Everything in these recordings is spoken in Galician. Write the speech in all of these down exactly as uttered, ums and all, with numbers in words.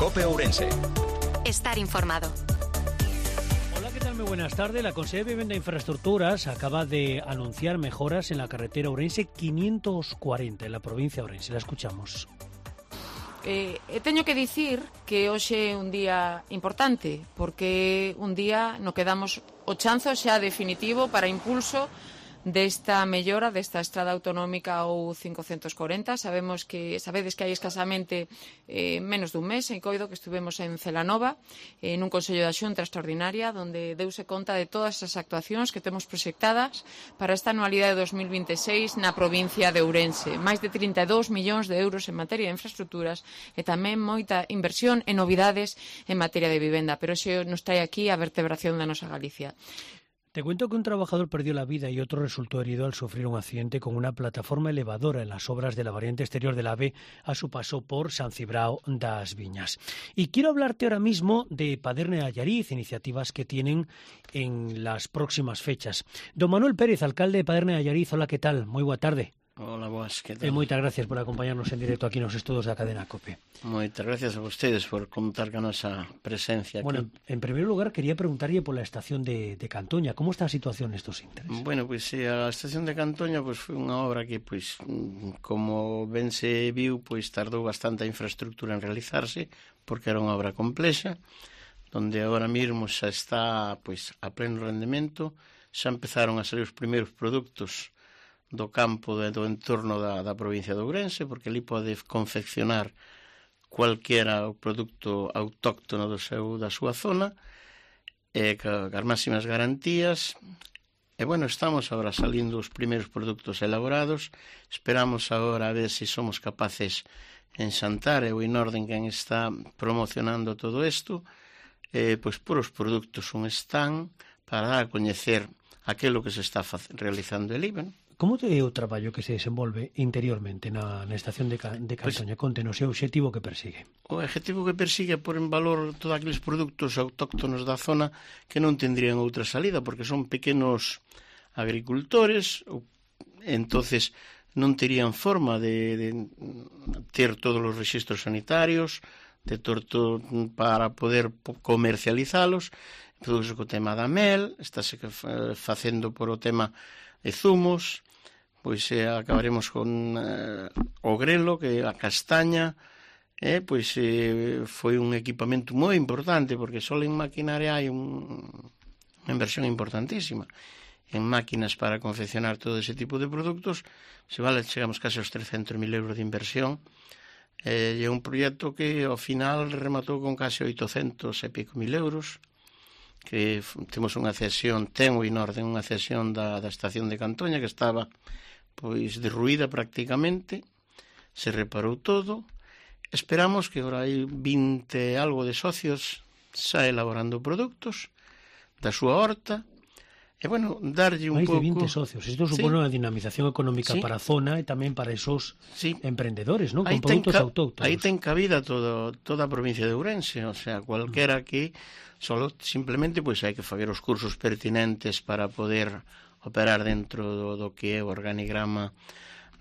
COPE Ourense. Estar informado. Hola, ¿qué tal? Muy buenas tardes. La Consellería de Vivenda e Infraestructuras acaba de anunciar mejoras en la carretera Ourense quinientos cuarenta, en la provincia de Ourense. La escuchamos. Eh, teño que dicir que hoxe é un día importante, porque un día no que damos o chanzo xa definitivo para impulso desta mellora desta estrada autonómica ou quinhentos e corenta. Sabemos que, sabedes que hai escasamente eh, menos dun mes, en coido que estuvemos en Celanova, eh, nun Consello da Xunta extraordinaria, onde deuse conta de todas as actuacións que temos proxectadas para esta anualidade de dos mil vinte e seis na provincia de Ourense. Máis de trinta e dous millóns de euros en materia de infraestructuras e tamén moita inversión en novidades en materia de vivenda. Pero xe nos trae aquí a vertebración da nosa Galicia. Te cuento que un trabajador perdió la vida y otro resultó herido al sufrir un accidente con una plataforma elevadora en las obras de la variante exterior del AVE a su paso por San Cibrao das Viñas. Y quiero hablarte ahora mismo de Paderne de Allariz, iniciativas que tienen en las próximas fechas. Don Manuel Pérez, alcalde de Paderne de Allariz, hola, ¿qué tal? Muy boa tarde. Hola, boas, que tal? E moitas gracias por acompañarnos en directo aquí nos estudos da cadena COPE. Moitas gracias a vostedes por contar con a nosa presencia aquí. Bueno, en primer lugar quería preguntarlle por la estación de, de Cantoña. ¿Cómo está a situación estos intereses? Bueno, pois pues, a estación de Cantoña pues, foi unha obra que, pues, como ben se viu, pues, tardou bastante a infraestructura en realizarse, porque era unha obra complexa, donde agora mesmo xa está pues, a pleno rendemento, xa empezaron a salir os primeiros produtos do campo de, do entorno da, da provincia de Ourense, porque ali pode confeccionar cualquiera o produto autóctono do seu, da súa zona, e ca, as máximas garantías. E, bueno, estamos agora salindo os primeiros produtos elaborados, esperamos agora a ver se si somos capaces en Xantar, e o Inorden quen está promocionando todo isto, eh, pois por os produtos un stand para dar a coñecer aquilo que se está realizando ali, bueno. Como é o traballo que se desenvolve interiormente na, na estación de, de Cantoña? Pues, contenos o obxectivo que persigue. O objetivo que persigue é pôr en valor todos aqueles produtos autóctonos da zona que non tendrían outra salida, porque son pequenos agricultores, entonces non terían forma de, de ter todos os rexistros sanitarios, de torto para poder comercializalos. Produce co tema da mel, estáse facendo por o tema de zumos, pois eh, acabaremos con eh, o grelo, que a castaña, eh, pois eh, foi un equipamento moi importante, porque só en maquinaria hai un, unha inversión importantísima. En máquinas para confeccionar todo ese tipo de produtos, se vale, chegamos case aos trescentos mil euros de inversión, eh, e é un proxecto que ao final rematou con case oitocentos e pico mil euros, que temos unha cesión, ten o Inorden unha cesión da, da estación de Cantoña que estaba pois derruída prácticamente, se reparou todo. Esperamos que agora hai vinte algo de socios xa elaborando produtos da súa horta, e, bueno, darlle un máis pouco... de vinte socios. Isto supone, sí, unha dinamización económica, sí, para a zona e tamén para esos, sí, emprendedores, ¿no? Con produtos ca... autóctonos. Aí ten cabida todo, toda a provincia de Ourense, o sea, cualquera mm. que solo simplemente pois hai que facer os cursos pertinentes para poder operar dentro do, do que é o organigrama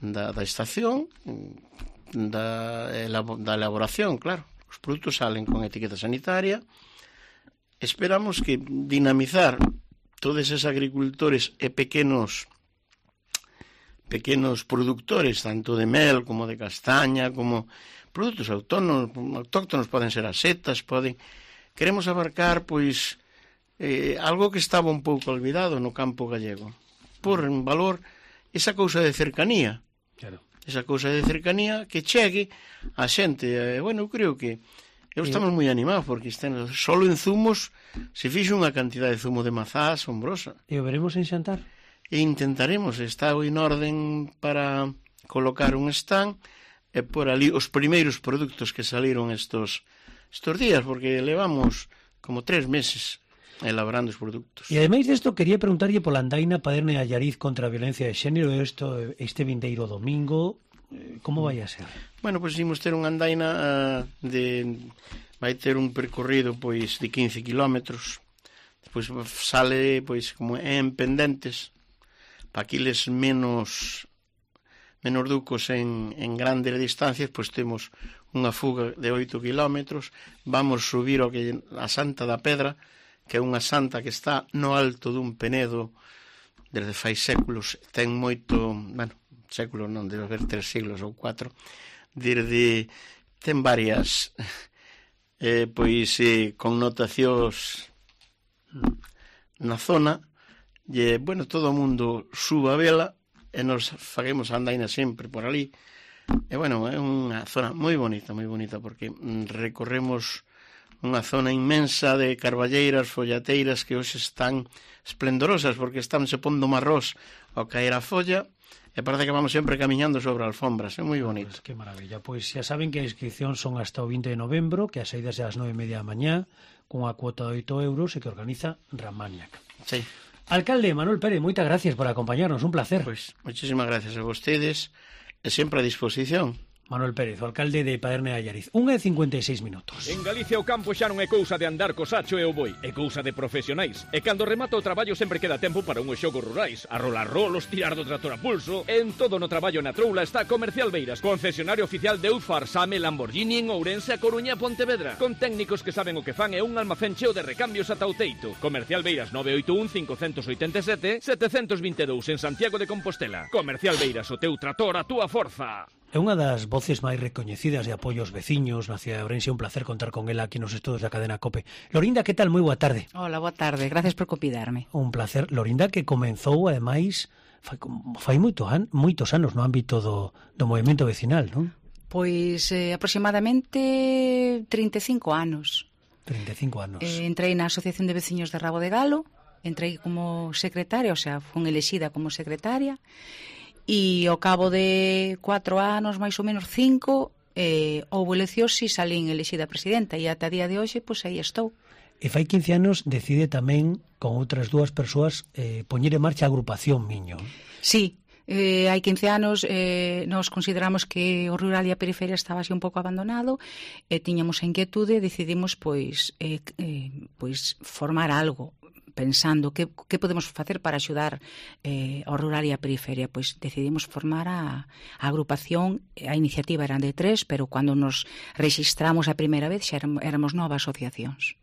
da, da estación, da, da elaboración, claro. Os produtos salen con etiqueta sanitaria. Esperamos que dinamizar todos esos agricultores e pequenos pequenos productores, tanto de mel como de castaña, como produtos autóctonos, autóctonos poden ser as setas, poden... Queremos abarcar, pois, eh, algo que estaba un pouco olvidado no campo gallego. Por en valor esa cousa de cercanía. Claro. Esa cousa de cercanía que chegue a xente. Eh, bueno, eu creo que eu estamos moi animados porque estén, solo en zumos se fixo unha cantidad de zumo de mazá asombrosa. E o veremos en Xantar? E intentaremos, está en orden para colocar un stand e por ali os primeiros produtos que saliron estos estos días, porque levamos como tres meses elaborando os produtos. E ademais desto, quería preguntarlle pola andaina Paderne de Allariz contra a violencia de xénero, isto, este vindeiro domingo, como vai a ser? Bueno, pois imos ter unha andaina uh, de... vai ter un percorrido pois de quince kilómetros, despois sale pois como en pendentes, para aquiles menos menos ducos en, en grandes distancias, pois temos unha fuga de oito kilómetros, vamos subir o que a Santa da Pedra, que é unha santa que está no alto dun penedo desde fai séculos, ten moito, bueno, séculos non, debe haber tres siglos ou cuatro, desde, ten varias eh, pois eh, connotacións na zona, e, bueno, todo o mundo suba a vela, e nos faguemos a andaina sempre por ali. E, bueno, é unha zona moi bonita, moi bonita, porque recorremos unha zona inmensa de carballeiras, follateiras que hoxe están esplendorosas, porque están se pondo marrós ao caer a folla, e parece que vamos sempre camiñando sobre alfombras, é moi bonito. Pues que maravilla, pois xa saben que a inscripción son hasta o vinte de novembro, que as saídas é ás nove e media da mañá, cunha cuota de oito euros, e que organiza Ramaniac. Sí. Alcalde Manuel Pérez, moitas gracias por acompañarnos, un placer. Pois, moitísimas gracias a vostedes, e sempre a disposición. Manuel Pérez, o alcalde de Paderne de Allariz. unha e cincuenta e seis minutos. En Galicia o campo xa non é cousa de andar co sacho e o boi, é cousa de profesionais. E cando remata o traballo sempre queda tempo para unhos xogos rurais, a rolar rolos, tirar do trator a pulso. En todo no traballo na troula está Comercial Beiras, concesionario oficial de Eufar, Same, Lamborghini en Ourense, a Coruña e Pontevedra, con técnicos que saben o que fan e un almacén cheo de recambios ata o teito. Comercial Beiras nove oito un, cinco oito sete, sete dos dous en Santiago de Compostela. Comercial Beiras, o teu trator, a túa forza. É unha das voces máis recoñecidas de apoio aos veciños na cidade de Ourense. Un placer contar con ela aquí nos estudos da cadena COPE. Lorinda, que tal? Moi boa tarde. Hola, boa tarde. Gracias por convidarme. Un placer. Lorinda, que comenzou, ademais, fai, fai moito an, moitos anos no ámbito do, do movimento vecinal, non? Pois eh, aproximadamente trinta e cinco anos. trinta e cinco anos. Eh, entrei na Asociación de Veciños de Rabo de Galo, entrei como secretaria, o sea, fun elexida como secretaria, e ao cabo de cuatro anos, máis ou menos cinco, eh, houve eleccións e salín elexida presidenta, e ata día de hoxe, pois aí estou. E fai quince anos decide tamén, con outras dúas persoas, eh, poñer en marcha a agrupación Miño. Sí, eh, hai quince anos eh, nos consideramos que o rural e a periferia estaba así un pouco abandonado, e tiñamos a inquietude, decidimos pois, eh, eh, pois formar algo, pensando que, que podemos facer para axudar eh, ao rural e a periferia. Pois decidimos formar a, a agrupación. A iniciativa era de tres, pero cando nos registramos a primeira vez xa éramos, éramos nove asociacións.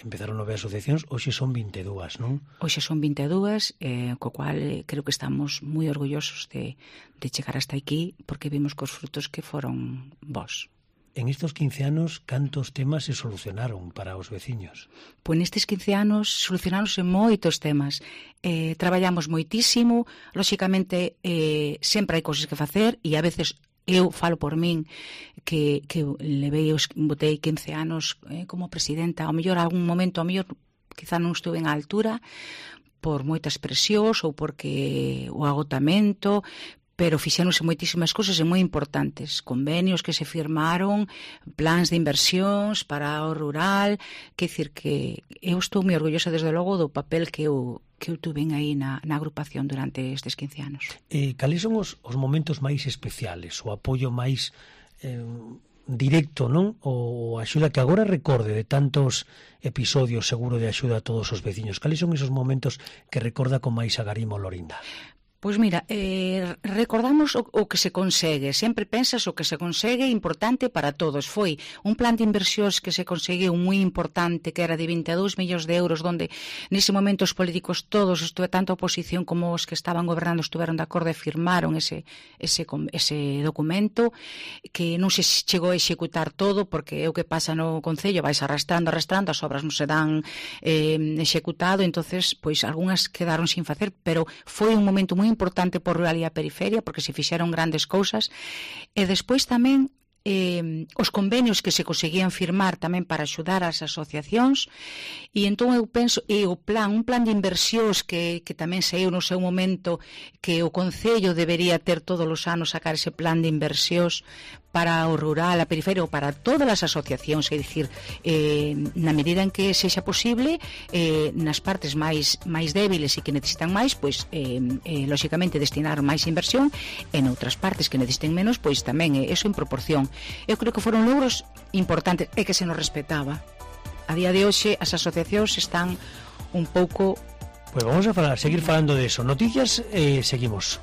Empezaron nove asociacións, hoxe son vinte e dúas, non? Hoxe son vinte e dúas, eh, co cual eh, creo que estamos moi orgullosos de, de chegar hasta aquí, porque vimos que os frutos que foron bons. En estes quince anos, cantos temas se solucionaron para os veciños? Pois nestes quince anos solucionáronse moitos temas. Eh, traballamos moitísimo, lóxicamente eh, sempre hai cousas que facer, e a veces eu falo por min que, que levei, os, botei quince anos eh, como presidenta, ao mellor algún momento, ao mellor quizá non estuve en altura por moitas presións ou porque o agotamento, pero fixéronse moitísimas cousas e moi importantes, convenios que se firmaron, plans de inversións para o rural, que dicir que eu estou moi orgullosa desde logo do papel que eu que eu tuve aí na, na agrupación durante estes quince anos. Eh, cales son os, os momentos máis especiales, o apoio máis eh, directo, non? O axuda que agora recorde de tantos episodios seguro de axuda a todos os veciños. Cales son esos momentos que recorda con máis agarimo Lorinda? Pois mira, eh, recordamos o, o que se consegue, sempre pensas o que se consegue importante para todos. Foi un plan de inversións que se conseguiu moi importante, que era de vinte e dous millóns de euros, donde nese momento os políticos todos, estuve tanto a oposición como os que estaban gobernando, estuveron de acordo e firmaron ese, ese, ese documento, que non se chegou a executar todo, porque é o que pasa no Concello, vais arrastrando, arrastrando, as obras non se dan eh, executado, entonces pois algunhas quedaron sin facer, pero foi un momento moi importante por rural e a periferia, porque se fixeron grandes cousas. E despois tamén eh, os convenios que se conseguían firmar tamén para axudar as asociacións, e entón eu penso, e o plan, un plan de inversións que, que tamén saiu no seu momento, que o Concello debería ter todos os anos sacar ese plan de inversións para o rural, a periferia ou para todas as asociacións, é dicir, eh, na medida en que sexa posible, eh, nas partes máis máis débiles e que necesitan máis, pois eh, eh, lóxicamente destinar máis inversión, e noutras partes que necesiten menos, pois tamén eh, eso en proporción. Eu creo que foron logros importantes e que se nos respetaba. A día de hoxe as asociacións están un pouco... Pois vamos a falar, seguir falando de eso. Noticias, eh, seguimos.